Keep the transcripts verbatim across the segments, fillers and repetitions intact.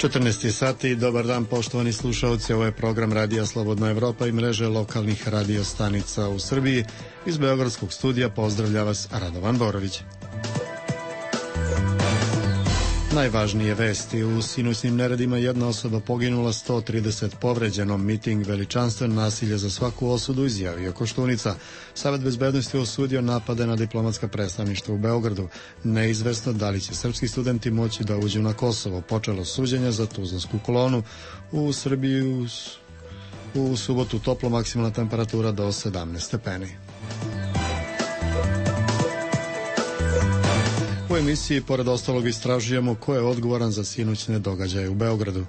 četrnaest sati, dobar dan poštovani slušalci, ovo je program Radija Slobodna Evropa i mreže lokalnih radio stanica u Srbiji. Iz Beogradskog studija pozdravlja vas Radovan Borović. Najvažnije vesti: u sinoćnim neredima jedna osoba poginula, sto trideset povređeno, miting veličanstven, nasilje za svaku osudu, izjavio Koštunica. Savet bezbednosti osudio napade na diplomatska predstavništva u Beogradu. Neizvesno da li će srpski studenti moći da uđu na Kosovo. Počelo suđenje za Tuzlansku kolonu. U Srbiji u, u subotu toplo, maksimalna temperatura do sedamnaest stepeni. U emisiji, pored ostalog, istražujemo ko je odgovoran za sinoćne događaje u Beogradu.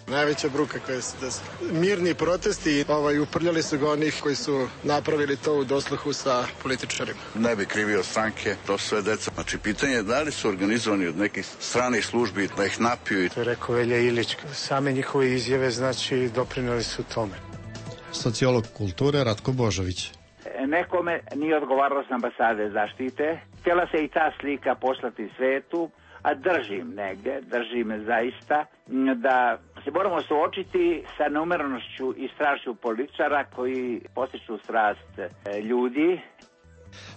Najveća bruka koja se desila. Mirni protesti, ovaj, uprljali su ga onih koji su napravili to u dosluhu sa političarima. Ne bi krivio stranke, to sve deca. Znači, pitanje je da li su organizovani od nekih stranih službi da ih napiju. To je rekao Velja Ilić. Same njihove izjave, znači, doprineli su tome. Sociolog kulture Ratko Božović. Nekome nije odgovaralo s ambasade zaštite. Htjela se i ta slika poslati svetu, a držim negde, držim zaista, da se moramo suočiti sa neumjerenošću i strašću političara koji postiču strast ljudi.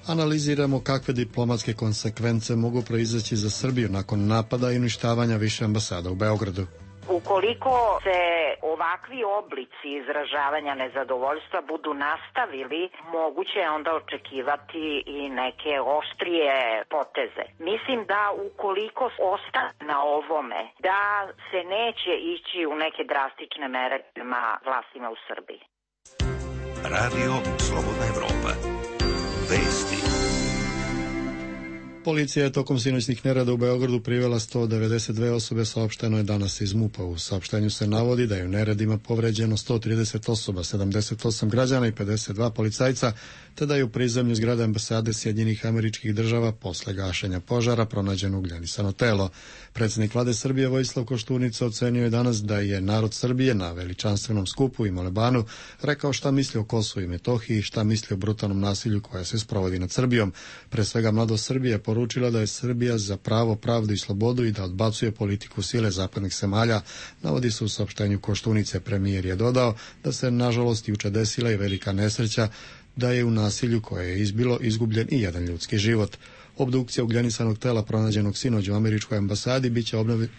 Analiziramo kakve diplomatske konsekvence mogu proizaći za Srbiju nakon napada i uništavanja više ambasada u Beogradu. Ukoliko se ovakvi oblici izražavanja nezadovoljstva budu nastavili, moguće je onda očekivati i neke oštrije poteze. Mislim da ukoliko ostane na ovome, da se neće ići u neke drastične mere prema vlastima u Srbiji. Radio Slobodna Evropa. Vesti. Policija je tokom sinoćnih nereda u Beogradu privela sto devedeset dve osobe, saopšteno je danas iz MUP-a. U saopštenju se navodi da je u neredima povređeno sto trideset osoba, sedamdeset osam građana i pedeset dva policajca, te da je u prizemlju zgrade ambasade Sjedinjenih Američkih Država posle gašenja požara pronađeno ugljenisano telo. Predsjednik vlade Srbije Vojislav Koštunica ocenio je danas da je narod Srbije na veličanstvenom skupu i molebanu rekao šta misli o Kosovu i Metohiji, šta misli o brutalnom nasilju koje se sprovodi nad Srbijom. Pre svega mladost Srbije poručila da je Srbija za pravo, pravdu i slobodu i da odbacuje politiku sile zapadnih zemalja, navodi se u saopštenju Koštunice. Premijer je dodao da se nažalost juče desila i velika nesreća, da je u nasilju koje je izbilo izgubljen i jedan ljudski život. Obdukcija ugljenisanog tela pronađenog sinoć u američkoj ambasadi biće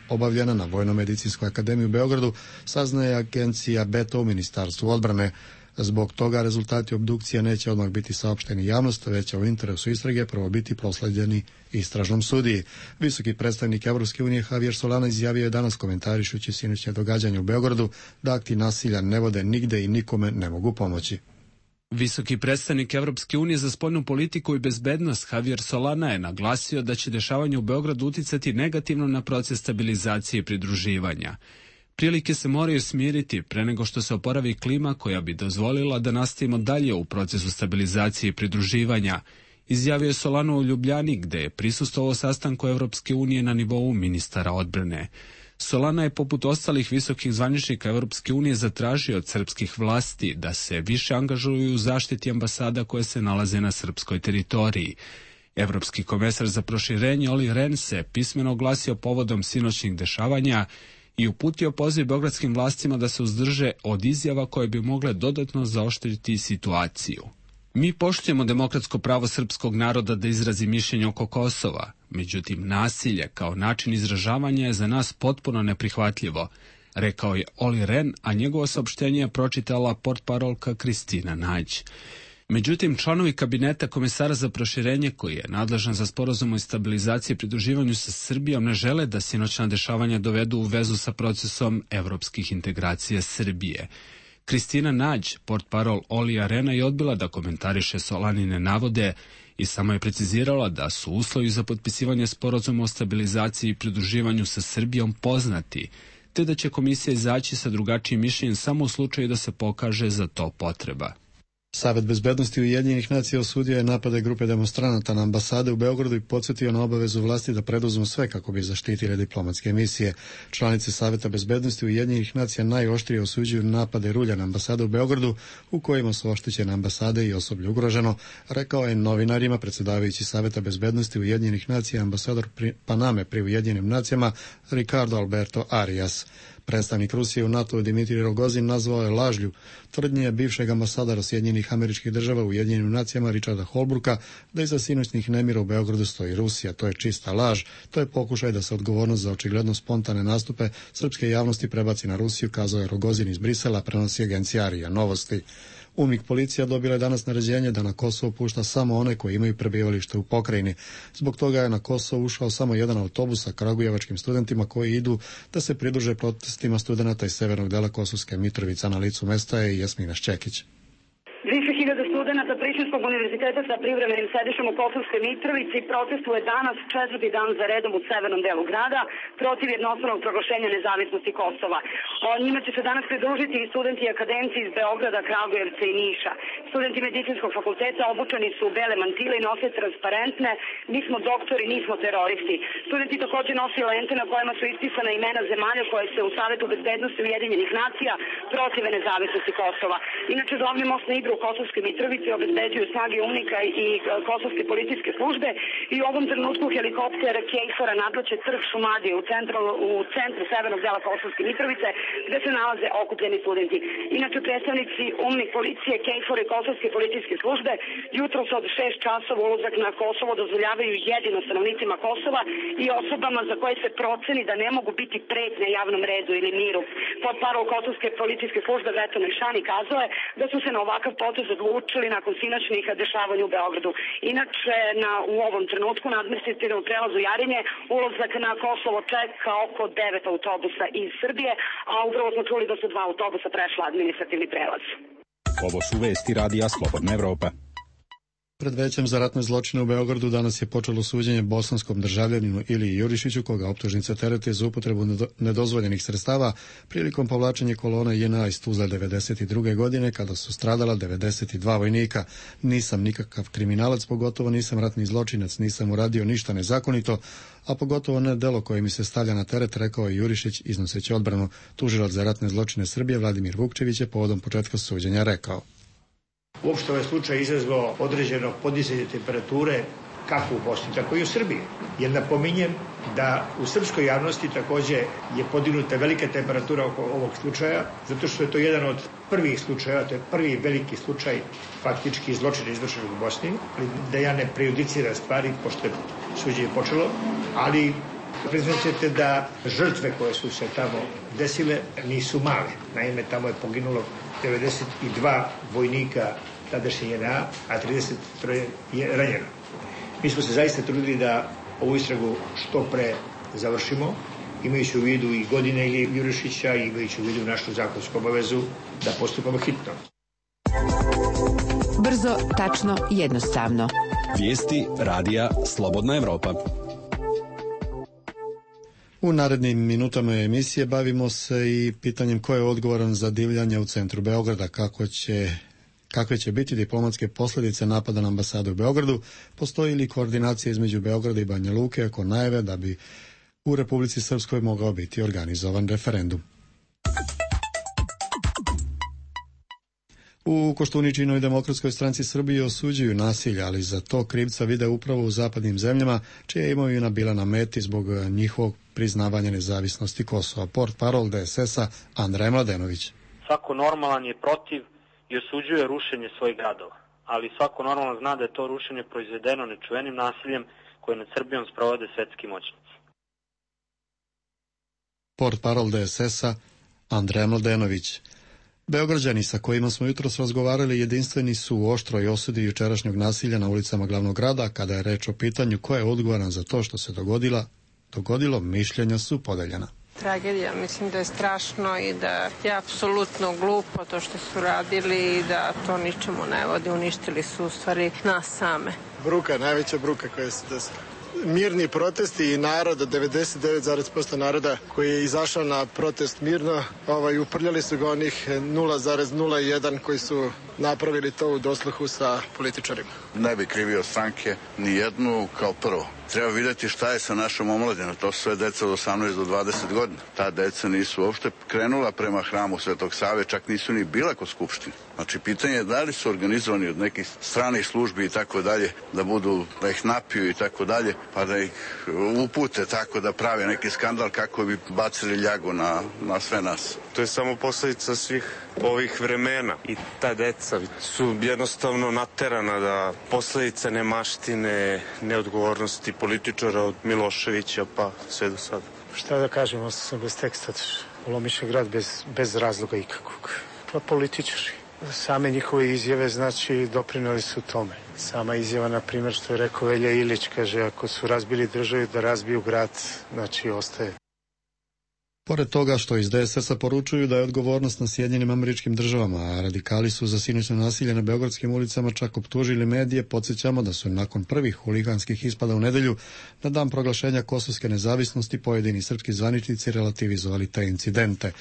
obavljena na Vojno-medicinskoj akademiji u Beogradu, saznaje agencija Beta u Ministarstvu odbrane. Zbog toga rezultati obdukcije neće odmah biti saopšteni javnosti, već će u interesu istrage prvo biti prosleđeni istražnom sudiji. Visoki predstavnik Evropske unije Javier Solana izjavio je danas, komentarišući sinoćnje događanje u Beogradu, da akti nasilja ne vode nigde i nikome ne mogu pomoći. Visoki predstavnik Evropske unije za spoljnu politiku i bezbednost Javier Solana je naglasio da će dešavanje u Beogradu uticati negativno na proces stabilizacije i pridruživanja. Prilike se moraju smiriti pre nego što se oporavi klima koja bi dozvolila da nastavimo dalje u procesu stabilizacije i pridruživanja, izjavio je Solana u Ljubljani, gde je prisustvovao sastanku Evropske unije na nivou ministara odbrane. Solana je poput ostalih visokih zvaničnika Evropske unije zatražio od srpskih vlasti da se više angažuju u zaštiti ambasada koje se nalaze na srpskoj teritoriji. Evropski komesar za proširenje Olli Rehn se pismeno oglasio povodom sinoćnih dešavanja i uputio poziv beogradskim vlastima da se uzdrže od izjava koje bi mogle dodatno zaoštriti situaciju. Mi poštujemo demokratsko pravo srpskog naroda da izrazi mišljenje oko Kosova, međutim nasilje kao način izražavanja je za nas potpuno neprihvatljivo, rekao je Olli Rehn, a njegovo saopštenje je pročitala portparolka Kristina Nađ. Međutim, članovi kabineta komesara za proširenje, koji je nadležan za sporazum o stabilizaciji i pridruživanju sa Srbijom, ne žele da sinoćna dešavanja dovedu u vezu sa procesom evropskih integracija Srbije. Kristina Nađ, portparol Ollija Rehna, je odbila da komentariše Solanine navode i samo je precizirala da su uslovi za potpisivanje sporazuma o stabilizaciji i pridruživanju sa Srbijom poznati, te da će komisija izaći sa drugačijim mišljenjem samo u slučaju da se pokaže za to potreba. Savet bezbednosti Ujedinjenih nacija osudio je napade grupe demonstranata na ambasade u Beogradu i podsjetio na obavezu vlasti da preduzmu sve kako bi zaštitile diplomatske misije. Članice Saveta bezbednosti Ujedinjenih nacija najoštrije osuđuju napade rulja na ambasade u Beogradu u kojima su oštećene ambasade i osoblje ugroženo, rekao je novinarima predsjedavajući Saveta bezbednosti Ujedinjenih nacija ambasador Paname pri Ujedinjenim nacijama Ricardo Alberto Arias. Predstavnik Rusije u NATO Dimitrij Rogozin nazvao je lažlju tvrdnje bivšeg ambasadora Sjedinjenih Američkih Država u Ujedinjenim nacijama Richarda Holbrooka da iza sinoćnih nemira u Beogradu stoji Rusija. To je čista laž. To je pokušaj da se odgovornost za očigledno spontane nastupe srpske javnosti prebaci na Rusiju, kazao je Rogozin iz Brisela, prenosi agencija A R I A Novosti. UMIK policija dobila je danas naređenje da na Kosovo pušta samo one koji imaju prebivalište u pokrajini. Zbog toga je na Kosovo ušao samo jedan autobus sa kragujevačkim studentima koji idu da se pridruže protestima studenata iz severnog dela Kosovske Mitrovice. Na licu mesta je Jasmina Šćekić. Više hiljada studenata Prištinskog univerziteta sa privremenim sedištem u Kosovskoj Mitrovici protestuje danas četvrti dan za redom u severnom delu grada protiv jednostranog proglašenja nezavisnosti Kosova. O njima će se danas pridružiti i studenti i akademci iz Beograda, Kragujevca i Niša. Studenti medicinskog fakulteta obučeni su u bele mantile i nose transparentne "Mi smo doktori, nismo teroristi". Studenti također nose lente na kojima su ispisana imena zemalja koje se u Savetu bezbednosti Ujedinjenih nacija protive nezavisnosti Kosova. Inače, glavni most na Ibru u Kosovskoj Mitrovici obezbeđuju snage UNMIK-a i kosovske policijske službe i u ovom trenutku helikopter Kejfora nadleće trg Šumadije u centru, u centru severnog dela Kosovske Mitrovice gde se nalaze okupljeni studenti. Inače, predstavnici UNMIK policije, Kejfora i kosovske policijske službe jutros od šest časova ulazak na Kosovo dozvoljavaju jedino stanovnicima Kosova i osobama za koje se proceni da ne mogu biti pretnje javnom redu ili miru. Potparol kosovske policijske službe Veto Nešani kazao je da su se na ovakav potez odlučili nakon sinoćnih dešavanja u Beogradu. Inače, na, u ovom trenutku na administrativnom prelazu Jarinje ulazak na Kosovo čeka oko devet autobusa iz Srbije, a upravo smo čuli da su dva autobusa prešla administrativni prelaz. Ovo su vesti radija Slobodna Evropa. Pred većem za ratne zločine u Beogradu danas je počelo suđenje bosanskom državljaninu Iliji Jurišiću, koga optužnice terete za upotrebu nedozvoljenih sredstava prilikom povlačenja kolona J N A iz Tuzle devedeset druge godine, kada su stradala devedeset dva vojnika. Nisam nikakav kriminalac, pogotovo nisam ratni zločinac, nisam uradio ništa nezakonito, a pogotovo ne delo koje mi se stavlja na teret, rekao je Jurišić iznoseći odbranu. Tužilac za ratne zločine Srbije Vladimir Vukčević je povodom početka suđenja rekao: Uopšte ovaj slučaj izazvao određeno podizanje temperature kako u Bosni, tako i u Srbiji. Jer napominjem da u srpskoj javnosti takođe je podignuta velika temperatura oko ovog slučaja, zato što je to jedan od prvih slučaja, to je prvi veliki slučaj faktički zločina izvršenog u Bosni, da ja ne prejudiciram stvari, pošto je suđenje počelo, ali priznaćete da žrtve koje su se tamo desile nisu male. Naime, tamo je poginulo devedeset dva vojnika tadašnje J N A, a trideset troje je ranjeno. Mi smo se zaista trudili da ovu istragu što pre završimo, imajući u vidu i godine Ilije Jurišića i imajući u vidu našu zakonsku obavezu da postupamo hitno. Brzo, tačno, jednostavno. Vijesti radija Slobodna Evropa. U narednim minutama emisije bavimo se i pitanjem ko je odgovoran za divljanje u centru Beograda, kako će, kakve će biti diplomatske posljedice napada na ambasadu u Beogradu, postoji li koordinacija između Beograda i Banja Luke oko najave da bi u Republici Srpskoj mogao biti organizovan referendum. U Koštuničinoj demokratskoj stranci Srbije osuđuju nasilje, ali za to krivca vide upravo u zapadnim zemljama, čija je imovina bila na meti zbog njihovog priznavanja nezavisnosti Kosova. Portparol D S S-a Andrej Mladenović. Svako normalan je protiv i osuđuje rušenje svojih gradova, ali svako normalan zna da je to rušenje proizvedeno nečuvenim nasiljem koje nad Srbijom sprovode svetski moćnici. Portparol D S S-a Andrej Mladenović. Beograđani sa kojima smo jutros razgovarali jedinstveni su u oštroj osudi jučerašnjeg nasilja na ulicama glavnog grada. Kada je reč o pitanju ko je odgovoran za to što se dogodila, dogodilo, mišljenja su podeljena. Tragedija, mislim da je strašno i da je apsolutno glupo to što su radili i da to ničemu ne vodi, uništili su u stvari nas same. Bruka, najveća bruka koja se desila. mirni protesti i naroda, devedeset devet zarez posto naroda koji je izašao na protest mirno, ovaj, uprljali su ga onih nula zarez nula jedan koji su napravili to u dosluhu sa političarima. Ne bi krivio stranke ni jednu kao prvo. Treba vidjeti šta je sa našom omladinom. To su sve deca od osamnaest do dvadeset godina. Ta deca nisu uopšte krenula prema hramu Svetog Save, čak nisu ni bila kod skupštine. Znači, pitanje je da li su organizovani od nekih stranih službi i tako dalje, da budu, da ih napiju i tako dalje, pa da ih upute tako da prave neki skandal kako bi bacili ljagu na, na sve nas. To je samo posljedica svih ovih vremena i ta deca su jednostavno naterana da posljedice nemaštine, neodgovornosti političara od Miloševića pa sve do sada. Šta da kažem, ostao sam bez teksta, Lomiša grad bez, bez razloga ikakvog. Pa političari. Same njihove izjave, znači, doprinali su tome. Sama izjava, na primjer, što je rekao Velja Ilić, kaže, ako su razbili državu da razbiju grad, znači, ostaje. Pored toga što iz D S S-a poručuju da je odgovornost na Sjedinjenim Američkim Državama, a radikali su za sinoćno nasilje na beogradskim ulicama čak optužili medije, podsjećamo da su nakon prvih huliganskih ispada u nedelju na dan proglašenja kosovske nezavisnosti pojedini srpski zvaničnici relativizovali te incidente.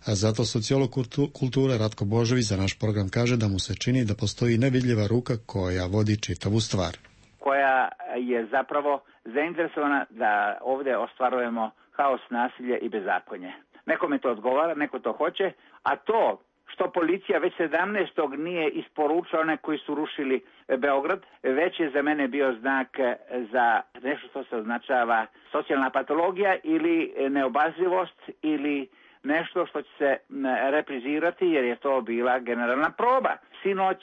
A zato sociolog kulture Ratko Božović za naš program kaže da mu se čini da postoji nevidljiva ruka koja vodi čitavu stvar. Koja je zapravo zainteresovana da ovdje ostvarujemo haos, nasilje i bezakonje. Nekome to odgovara, neko to hoće, a to što policija već sedamnaestog nije isporučila one koji su rušili Beograd, već je za mene bio znak za nešto što se označava socijalna patologija ili neobazrivost ili nešto što će se reprizirati jer je to bila generalna proba. Sinoć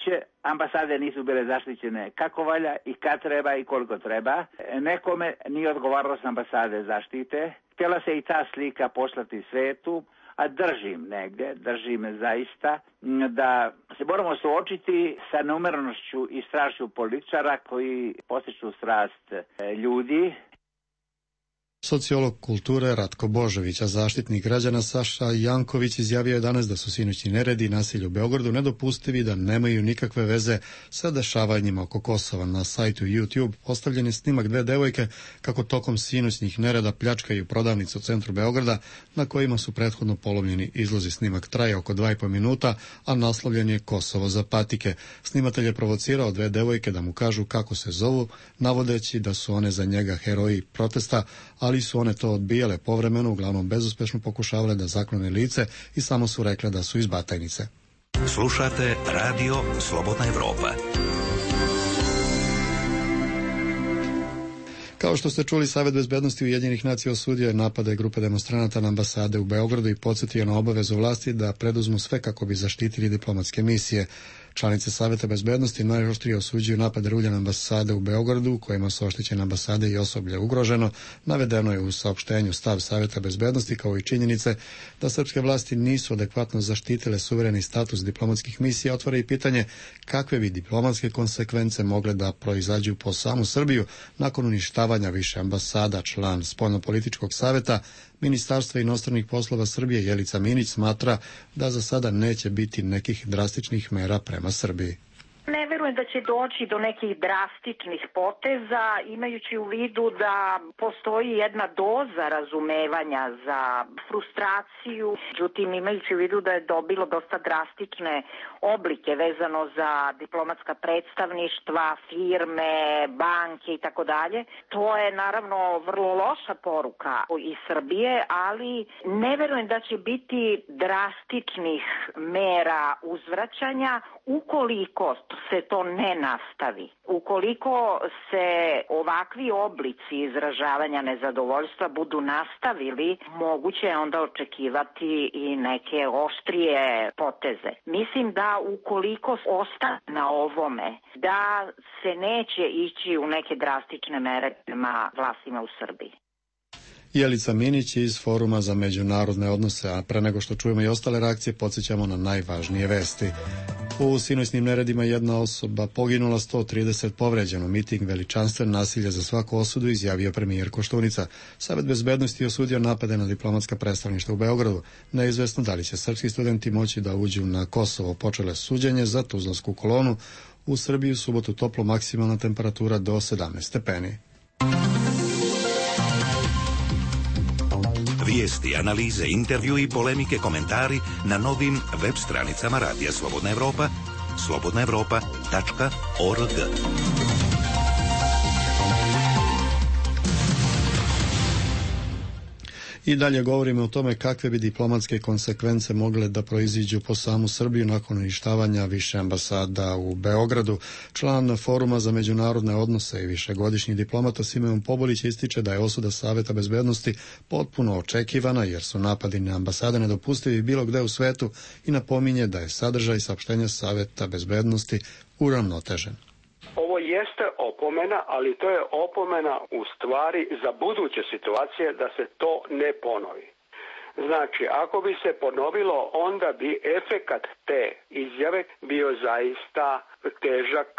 ambasade nisu bile zaštićene kako valja i kad treba i koliko treba. Nekome nije odgovaralo s ambasade zaštite. Htjela se i ta slika poslati svetu, a držim negdje, držim zaista da se moramo suočiti sa neumjerenošću i strašću političara koji postiču strast ljudi. Sociolog kulture Ratko Božović, a zaštitnik građana Saša Janković izjavio je danas da su sinoćni neredi i nasilje u Beogradu nedopustivi, da nemaju nikakve veze sa dešavanjima oko Kosova. Na sajtu YouTube postavljen je snimak dve devojke kako tokom sinoćnih nereda pljačkaju prodavnicu u centru Beograda na kojima su prethodno polomljeni izlozi. Snimak traje oko dva i po minuta, a naslovljen je Kosovo za patike. Snimatelj je provocirao dve devojke da mu kažu kako se zovu, navodeći da su one za njega heroji protesta, ali su one to odbijale povremeno, uglavnom bezuspešno pokušavale da zaklone lice i samo su rekle da su iz Batajnice. Slušate Radio Slobodna Evropa. Kao što ste čuli, Savet bezbednosti Ujedinjenih nacija osudio je napade grupe demonstranata na ambasade u Beogradu i podsjetio na obavezu vlasti da preduzmu sve kako bi zaštitili diplomatske misije. Članice Saveta bezbednosti najoštrije osuđuju napade rulja na ambasade u Beogradu, u kojima su oštećene ambasade i osoblje ugroženo. Navedeno je u saopštenju stav Saveta bezbednosti, kao i činjenice da srpske vlasti nisu adekvatno zaštitile suvereni status diplomatskih misija. Otvara i pitanje kakve bi diplomatske konsekvence mogle da proizađu po samu Srbiju nakon uništavanja više ambasada. Član Spoljnopolitičkog saveta Ministarstva inostranih poslova Srbije Jelica Minić smatra da za sada neće biti nekih drastičnih mera prema Srbiji. Ne verujem da će doći do nekih drastičnih poteza, imajući u vidu da postoji jedna doza razumevanja za frustraciju, međutim imajući u vidu da je dobilo dosta drastične oblike vezano za diplomatska predstavništva, firme, banke i tako dalje. To je naravno vrlo loša poruka iz Srbije, ali ne verujem da će biti drastičnih mera uzvraćanja ukoliko se to ne nastavi. Ukoliko se ovakvi oblici izražavanja nezadovoljstva budu nastavili, moguće je onda očekivati i neke oštrije poteze. Mislim da ukoliko ostane na ovome, da se neće ići u neke drastične mere prema vlastima u Srbiji. Jelica Minić iz Foruma za međunarodne odnose, a pre nego što čujemo i ostale reakcije, podsjećamo na najvažnije vesti. U sinoćnim neredima jedna osoba poginula, sto trideset povređeno. Miting veličanstven, nasilje za svaku osudu, izjavio premijer Koštunica. Savet bezbednosti osudio napade na diplomatska predstavništva u Beogradu. Neizvesno da li će srpski studenti moći da uđu na Kosovo. Počele suđenje za Tuzlansku kolonu. U Srbiji u subotu toplo, maksimalna temperatura do sedamnaest stepeni. Vijesti, analize, intervju i polemike, komentari na novim web stranicama Radija Slobodna Evropa, slobodna evropa tačka org. I dalje govorimo o tome kakve bi diplomatske konsekvence mogle da proiziđu po samu Srbiju nakon uništavanja više ambasada u Beogradu. Član Foruma za međunarodne odnose i višegodišnji diplomata Simeon Pobulić ističe da je osuda Saveta bezbednosti potpuno očekivana jer su napadi na ambasade nedopustivi bilo gde u svetu i napominje da je sadržaj saopštenja Saveta bezbednosti uravnotežen. Ovo jeste opomena, ali to je opomena u stvari za buduće situacije da se to ne ponovi. Znači, ako bi se ponovilo, onda bi efekat te izjave bio zaista težak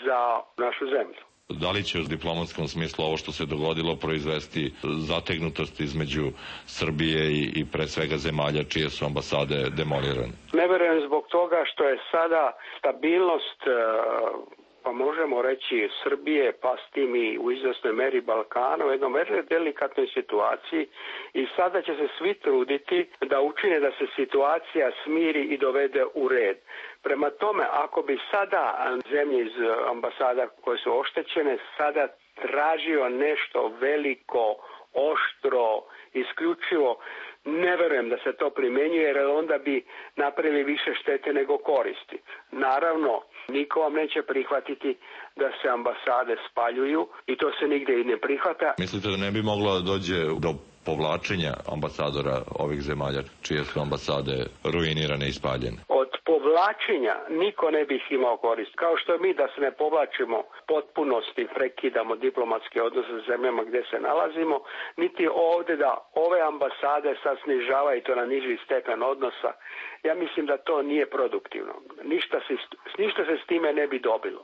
za našu zemlju. Da li će u diplomatskom smislu ovo što se dogodilo proizvesti zategnutost između Srbije i, i pre svega zemalja čije su ambasade demolirane? Ne verujem zbog toga što je sada stabilnost, pa možemo reći Srbije, pa s tim i u izvesnoj meri Balkana, u jednoj vrlo delikatnoj situaciji i sada će se svi truditi da učine da se situacija smiri i dovede u red. Prema tome, ako bi sada zemlje iz ambasada koje su oštećene sada tražio nešto veliko, oštro, isključivo, ne verujem da se to primjenjuje jer onda bi napravili više štete nego koristi. Naravno, niko vam neće prihvatiti da se ambasade spaljuju i to se nigde i ne prihvata. Mislite da ne bi moglo da dođe do povlačenja ambasadora ovih zemalja čije su ambasade ruinirane i spaljene? Od povlačenja niko ne bi imao korist. Kao što mi da se ne povlačimo potpunosti, prekidamo diplomatske odnose s zemljama gdje se nalazimo, niti ovdje da ove ambasade sad snižavaju to na niži stepen odnosa. Ja mislim da to nije produktivno. Ništa se, ništa se s time ne bi dobilo.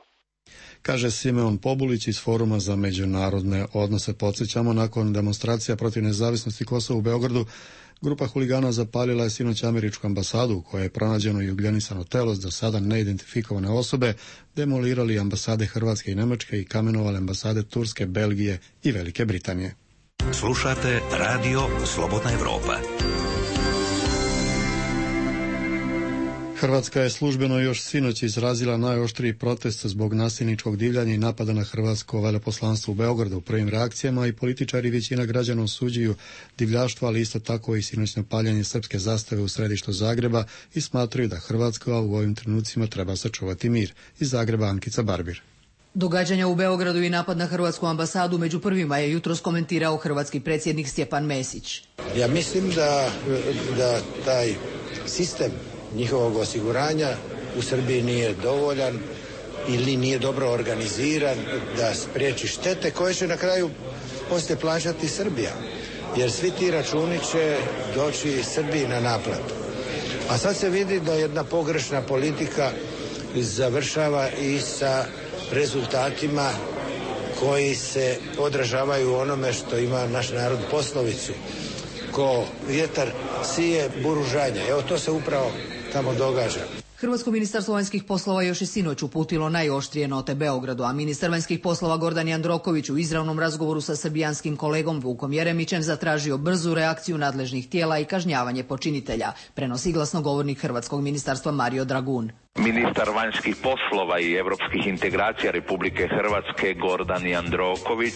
Kaže Simeon Pobulić iz Foruma za međunarodne odnose. Podsjećamo, nakon demonstracija protiv nezavisnosti Kosova u Beogradu, grupa huligana zapalila je sinoć američku ambasadu u kojoj je pronađeno i ugljenisano telo za sada neidentifikovane osobe, demolirali ambasade Hrvatske i Nemačke i kamenovali ambasade Turske, Belgije i Velike Britanije. Slušate Radio Slobodna Evropa. Hrvatska je službeno još sinoć izrazila najoštriji protest zbog nasilničkog divljanja i napada na hrvatsko veleposlanstvo u Beogradu. U prvim reakcijama i političari i većina građana osuđuju divljaštvo, ali isto tako i sinoćno paljenje srpske zastave u središtu Zagreba i smatraju da Hrvatska u ovim trenucima treba sačuvati mir. Iz Zagreba Ankica Barbir. Događanja u Beogradu i napad na hrvatsku ambasadu među prvima je jutros komentirao hrvatski predsjednik Stjepan Mesić. Ja mislim da, da taj sistem njihovog osiguranja u Srbiji nije dovoljan ili nije dobro organiziran da spriječi štete koje će na kraju poslije plaćati Srbija. Jer svi ti računi će doći Srbiji na naplatu. A sad se vidi da jedna pogrešna politika završava i sa rezultatima koji se odražavaju onome što ima naš narod poslovicu. Ko vjetar sije, buru žanje. Evo to se upravo tamo događa. Hrvatsko ministarstvo vanjskih poslova još i sinoć uputilo najoštrije note Beogradu, a ministar vanjskih poslova Gordan Jandroković u izravnom razgovoru sa srbijanskim kolegom Vukom Jeremićem zatražio brzu reakciju nadležnih tijela i kažnjavanje počinitelja, prenosi glasnogovornik Hrvatskog ministarstva Mario Dragun. Ministar vanjskih poslova i europskih integracija Republike Hrvatske Gordan Jandroković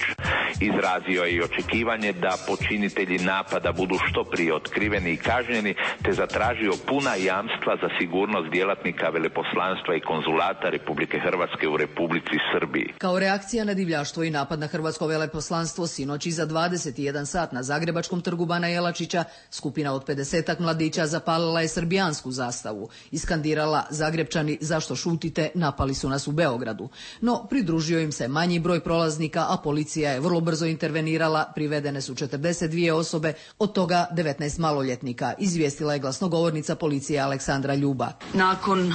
izrazio je i očekivanje da počinitelji napada budu što prije otkriveni i kažnjeni, te zatražio puna jamstva za sigurnost djelatnika veleposlanstva i konzulata Republike Hrvatske u Republici Srbiji. Kao reakcija na divljaštvo i napad na hrvatsko veleposlanstvo sinoć iza dvadeset jedan sat na Zagrebačkom trgu Bana Jelačića skupina od pedesetak mladića zapalila je srbijansku zastavu i skandirala Zagrebčani zašto šutite, napali su nas u Beogradu. No pridružio im se manji broj prolaznika, a policija je vrlo brzo intervenirala, privedene su četrdeset dvije osobe, od toga devetnaest maloljetnika, izvijestila je glasnogovornica policije Aleksandra Ljuba. Nakon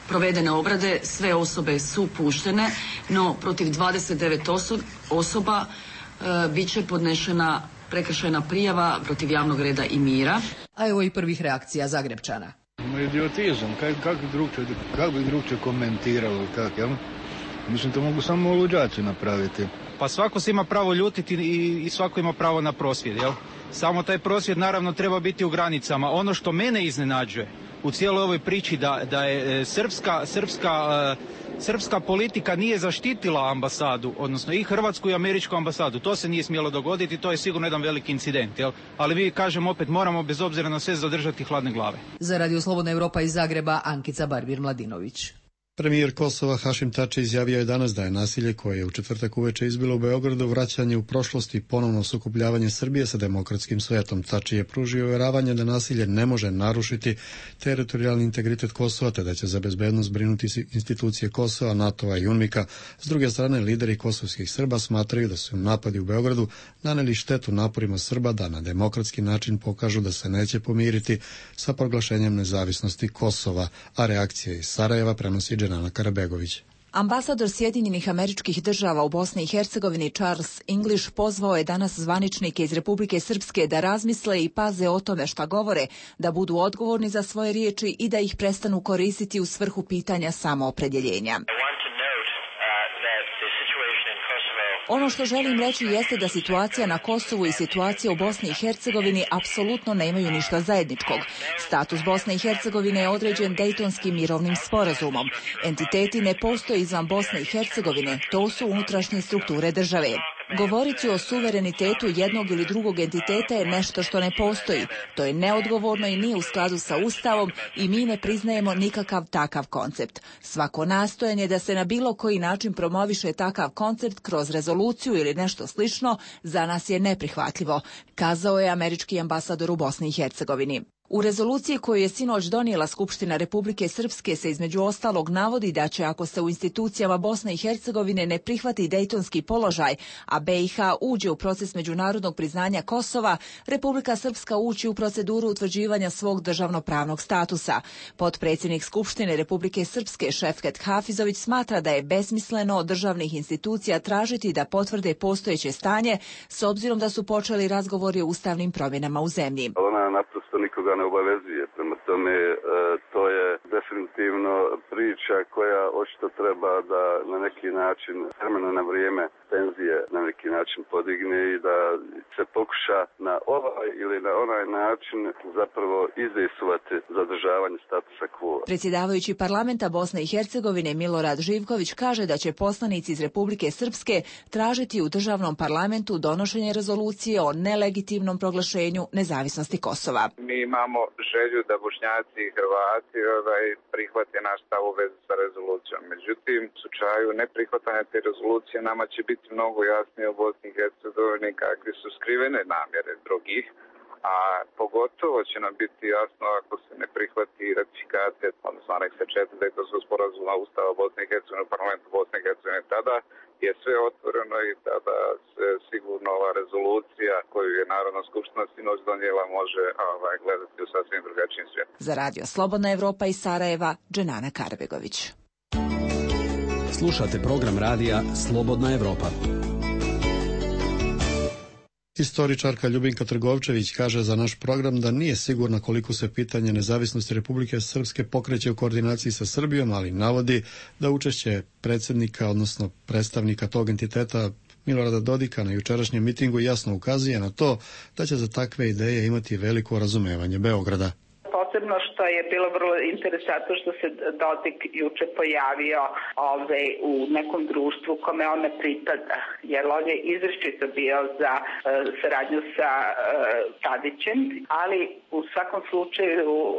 provedene obrade sve osobe su puštene, no protiv dvadeset devet oso- osoba e, bit će podnešena prekršajna prijava protiv javnog reda i mira. A evo i prvih reakcija Zagrebčana. Idiotizam, kako bi drugčije, kak bi drugčije komentiralo, kak, jel? Mislim, to mogu samo luđaci napraviti. Pa svako se ima pravo ljutiti i, i svako ima pravo na prosvjed, jel? Samo taj prosvjed naravno treba biti u granicama. Ono što mene iznenađuje u cijeloj ovoj priči da, da je srpska, srpska, uh, srpska politika nije zaštitila ambasadu, odnosno i hrvatsku i američku ambasadu. To se nije smjelo dogoditi, to je sigurno jedan veliki incident, jel? Ali vi, kažem, opet moramo bez obzira na sve zadržati hladne glave. Za Radio Slobodna Europa iz Zagreba, Ankica Barbir-Mladinović. Premijer Kosova Hašim Tači izjavio je danas da je nasilje koje je u četvrtak uveče izbilo u Beogradu vraćanje u prošlost i ponovno sukobljavanje Srbije sa demokratskim svetom. Tači je pružio uvjeravanje da nasilje ne može narušiti teritorijalni integritet Kosova, te da će za bezbednost brinuti institucije Kosova, NATO-a i UNMIK-a. S druge strane, lideri kosovskih Srba smatraju da su napadi u Beogradu naneli štetu naporima Srba da na demokratski način pokažu da se neće pomiriti sa proglašenjem nezavisnosti Kosova, a reakcija iz Sarajeva prenosi Dženana Karabegović. Ambasador Sjedinjenih Američkih Država u Bosni i Hercegovini Charles English pozvao je danas zvaničnike iz Republike Srpske da razmisle i paze o tome šta govore, da budu odgovorni za svoje riječi i da ih prestanu koristiti u svrhu pitanja samoopredjeljenja. Ono što želim reći jeste da situacija na Kosovu i situacija u Bosni i Hercegovini apsolutno nemaju ništa zajedničkog. Status Bosne i Hercegovine je određen Dejtonskim mirovnim sporazumom. Entiteti ne postoje izvan Bosne i Hercegovine, to su unutrašnje strukture države. Govoriti o suverenitetu jednog ili drugog entiteta je nešto što ne postoji. To je neodgovorno i nije u skladu sa Ustavom i mi ne priznajemo nikakav takav koncept. Svako nastojanje da se na bilo koji način promoviše takav koncept kroz rezoluciju ili nešto slično za nas je neprihvatljivo, kazao je američki ambasador u Bosni i Hercegovini. U rezoluciji koju je sinoć donijela Skupština Republike Srpske se između ostalog navodi da će, ako se u institucijama Bosne i Hercegovine ne prihvati dejtonski položaj, a B i H uđe u proces međunarodnog priznanja Kosova, Republika Srpska ući u proceduru utvrđivanja svog državnopravnog statusa. Potpredsjednik Skupštine Republike Srpske Šefket Hafizović smatra da je besmisleno od državnih institucija tražiti da potvrde postojeće stanje, s obzirom da su počeli razgovori o ustavnim promjenama u zemlji. Ona naprosto nikoga ne obavezuje. Prema tome, e, to je definitivno priča koja očito treba da na neki način, vremena na vrijeme, tenzije na neki način podigne i da se pokuša na ovaj ili na onaj način zapravo izdejstvovati zadržavanje statusa quo. Predsjedavajući parlamenta Bosne i Hercegovine Milorad Živković kaže da će poslanici iz Republike Srpske tražiti u državnom parlamentu donošenje rezolucije o nelegitimnom proglašenju nezavisnosti Kosova. Mi imamo želju da Bošnjaci i Hrvati ovaj, prihvate naš stav u vezi sa rezolucijom. Međutim, u slučaju neprihvatanja te rezolucije nama će biti mnogo jasnije u Bosni i Hercegovini kakve su skrivene namjere drugih, a pogotovo će nam biti jasno ako se ne prihvati ratifikacije, odnosno aneksa četiri Dejtonskog sporazuma Ustava Bosne i Hercegovine u parlamentu Bosne i Hercegovine. Tada je sve otvoreno i tada se sigurno ova rezolucija koju je Narodna skupština sinoć donijela može ovaj, gledati u sasvim drugačijim svijetom. Za Radio Slobodna Evropa iz Sarajeva, Dženana Karbegović. Slušate program radija Slobodna Evropa. Istoričarka Ljubinka Trgovčević kaže za naš program da nije sigurna koliko se pitanje nezavisnosti Republike Srpske pokreće u koordinaciji sa Srbijom, ali navodi da učešće predsjednika, odnosno predstavnika tog entiteta Milorada Dodika na jučerašnjem mitingu jasno ukazuje na to da će za takve ideje imati veliko razumevanje Beograda. Posebno što je bilo vrlo interesantno što se Dodik juče pojavio ove, u nekom društvu kome on ne pripada, jer on je izričito bio za uh, saradnju sa uh, Tadićem, ali u svakom slučaju uh,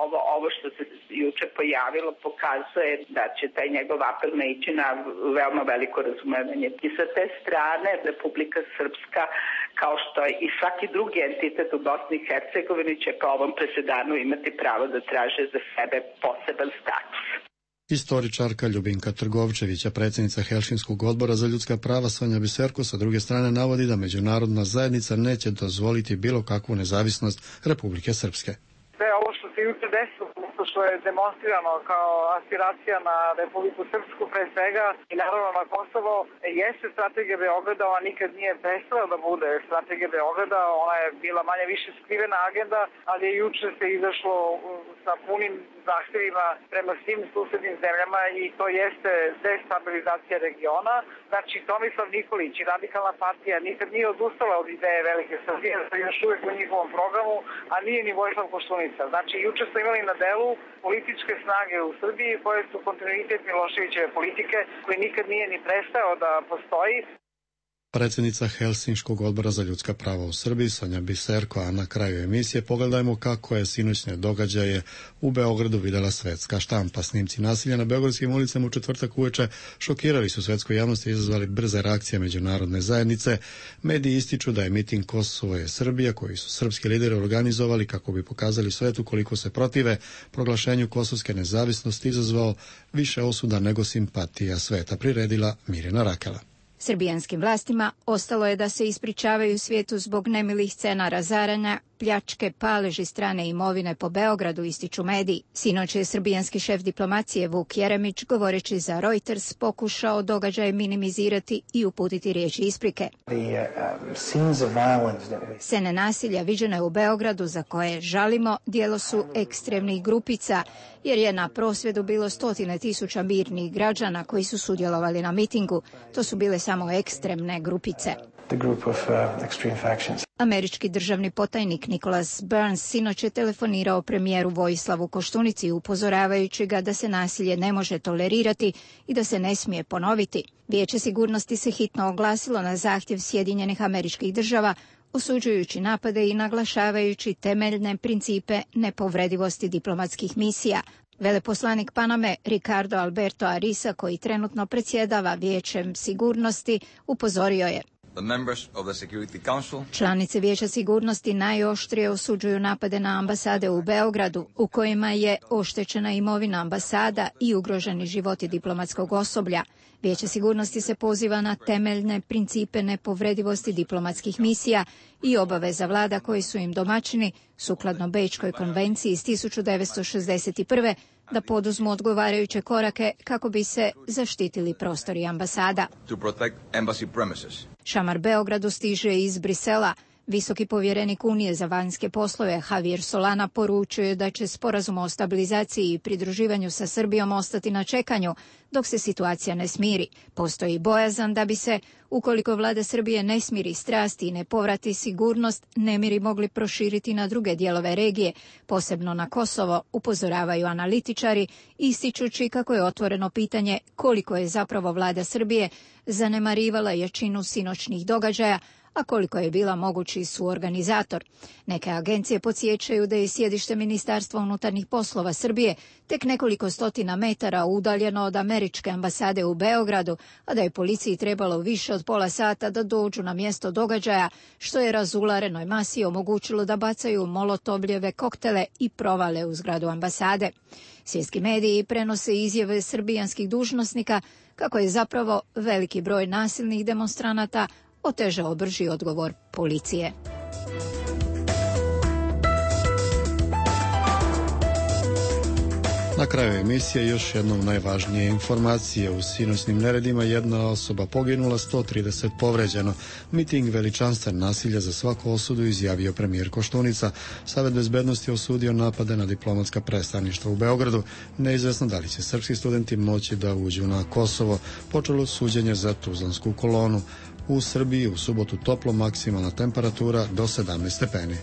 ovo, ovo što se juče pojavilo pokazuje da će taj njegov apel naići na veoma veliko razumevanje. I sa te strane Republika Srpska, kao što i svaki drugi entitet u Bosni i Hercegovini, će po ovom presedanu imati pravo da traže za sebe poseban status. Istoričarka Ljubinka Trgovčević, a predsjednica Helsinskog odbora za ljudska prava Sonja Biserko sa druge strane navodi da međunarodna zajednica neće dozvoliti bilo kakvu nezavisnost Republike Srpske. Sve ovo što se juče desilo, što je demonstrirano kao aspiracija na Republiku Srpsku pre svega i naravno na Kosovo, jeste strategija Beograda, ona nikad nije prestala da bude strategija Beograda, ona je bila manje više skrivena agenda, ali je juče se izašlo sa punim zahtjevima prema svim susednim zemljama i to jeste destabilizacija regiona. Znači, Tomislav Nikolić i Radikalna partija nikad nije odustala od ideje Velike Srbije, to je još uvijek u njihovom programu, a nije ni Vojislav Koštunica. Znači, juče smo imali na delu političke snage u Srbiji koje su kontinuitet Miloševićeve politike koji nikad nije ni prestao da postoji. Predsjednica Helsinškog odbora za ljudska prava u Srbiji, Sonja Biserko, a na kraju emisije pogledajmo kako je sinoćne događaje u Beogradu videla svetska štampa. Snimci nasilja na beogradskim ulicama u četvrtak uveče šokirali su svetsku javnost i izazvali brze reakcije međunarodne zajednice. Mediji ističu da je miting Kosovo je Srbija, koji su srpski lideri organizovali kako bi pokazali svetu koliko se protive proglašenju kosovske nezavisnosti, izazvao više osuda nego simpatija sveta, priredila Mirjana Rakela. Srbijanskim vlastima ostalo je da se ispričavaju svijetu zbog nemilih scena razaranja, pljačke, paleži strane imovine po Beogradu, ističu mediji. Sinoć je srbijanski šef diplomacije Vuk Jeremić, govoreći za Reuters, pokušao događaj minimizirati i uputiti riječi isprike. Scene nasilja viđene u Beogradu za koje žalimo djelo su ekstremnih grupica, jer je na prosvjedu bilo stotine tisuća mirnih građana koji su sudjelovali na mitingu. To su bile samo ekstremne grupice. Američki državni potajnik Nicholas Burns sinoć je telefonirao premijeru Vojislavu Koštunici upozoravajući ga da se nasilje ne može tolerirati i da se ne smije ponoviti. Vijeće sigurnosti se hitno oglasilo na zahtjev Sjedinjenih Američkih Država, osuđujući napade i naglašavajući temeljne principe nepovredivosti diplomatskih misija. Veleposlanik Paname Ricardo Alberto Arisa, koji trenutno predsjedava Vijećem sigurnosti, upozorio je: članice Vijeća sigurnosti najoštrije osuđuju napade na ambasade u Beogradu, u kojima je oštećena imovina ambasada i ugroženi životi diplomatskog osoblja. Vijeće sigurnosti se poziva na temeljne principe nepovredivosti diplomatskih misija i obaveza vlada koji su im domaćini, sukladno Bečkoj konvenciji iz tisuću devetsto šezdeset prve, da poduzmu odgovarajuće korake kako bi se zaštitili prostori ambasada. Šamar Beogradu stiže iz Brisela. Visoki povjerenik Unije za vanjske poslove Javier Solana poručuje da će sporazum o stabilizaciji i pridruživanju sa Srbijom ostati na čekanju dok se situacija ne smiri. Postoji bojazan da bi se, ukoliko vlada Srbije ne smiri strasti i ne povrati sigurnost, nemiri mogli proširiti na druge dijelove regije, posebno na Kosovo, upozoravaju analitičari, ističući kako je otvoreno pitanje koliko je zapravo vlada Srbije zanemarivala jačinu sinoćnih događaja, a koliko je bila mogući suorganizator. Neke agencije podsjećaju da je sjedište Ministarstva unutarnjih poslova Srbije tek nekoliko stotina metara udaljeno od američke ambasade u Beogradu, a da je policiji trebalo više od pola sata da dođu na mjesto događaja, što je razularenoj masi omogućilo da bacaju molotovljeve koktele i provale u zgradu ambasade. Svjetski mediji prenose izjave srbijanskih dužnosnika kako je zapravo veliki broj nasilnih demonstranata otežao brži odgovor policije. Na kraju emisije još jednom najvažnije informacije. U sinoćnim neredima jedna osoba poginula, sto trideset povređeno. Miting veličanstven nasilja za svaku osudu, izjavio premijer Koštunica. Savet bezbednosti osudio napade na diplomatska predstavništva u Beogradu. Neizvesno da li će srpski studenti moći da uđu na Kosovo. Počelo suđenje za Tuzlansku kolonu. U Srbiji u subotu toplo, maksimalna temperatura do sedamnaest stepeni.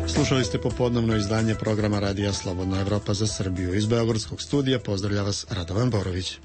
Slušali ste popodnevno izdanje programa Radija Slobodna Evropa za Srbiju. Iz beogradskog studija pozdravlja vas Radovan Borović.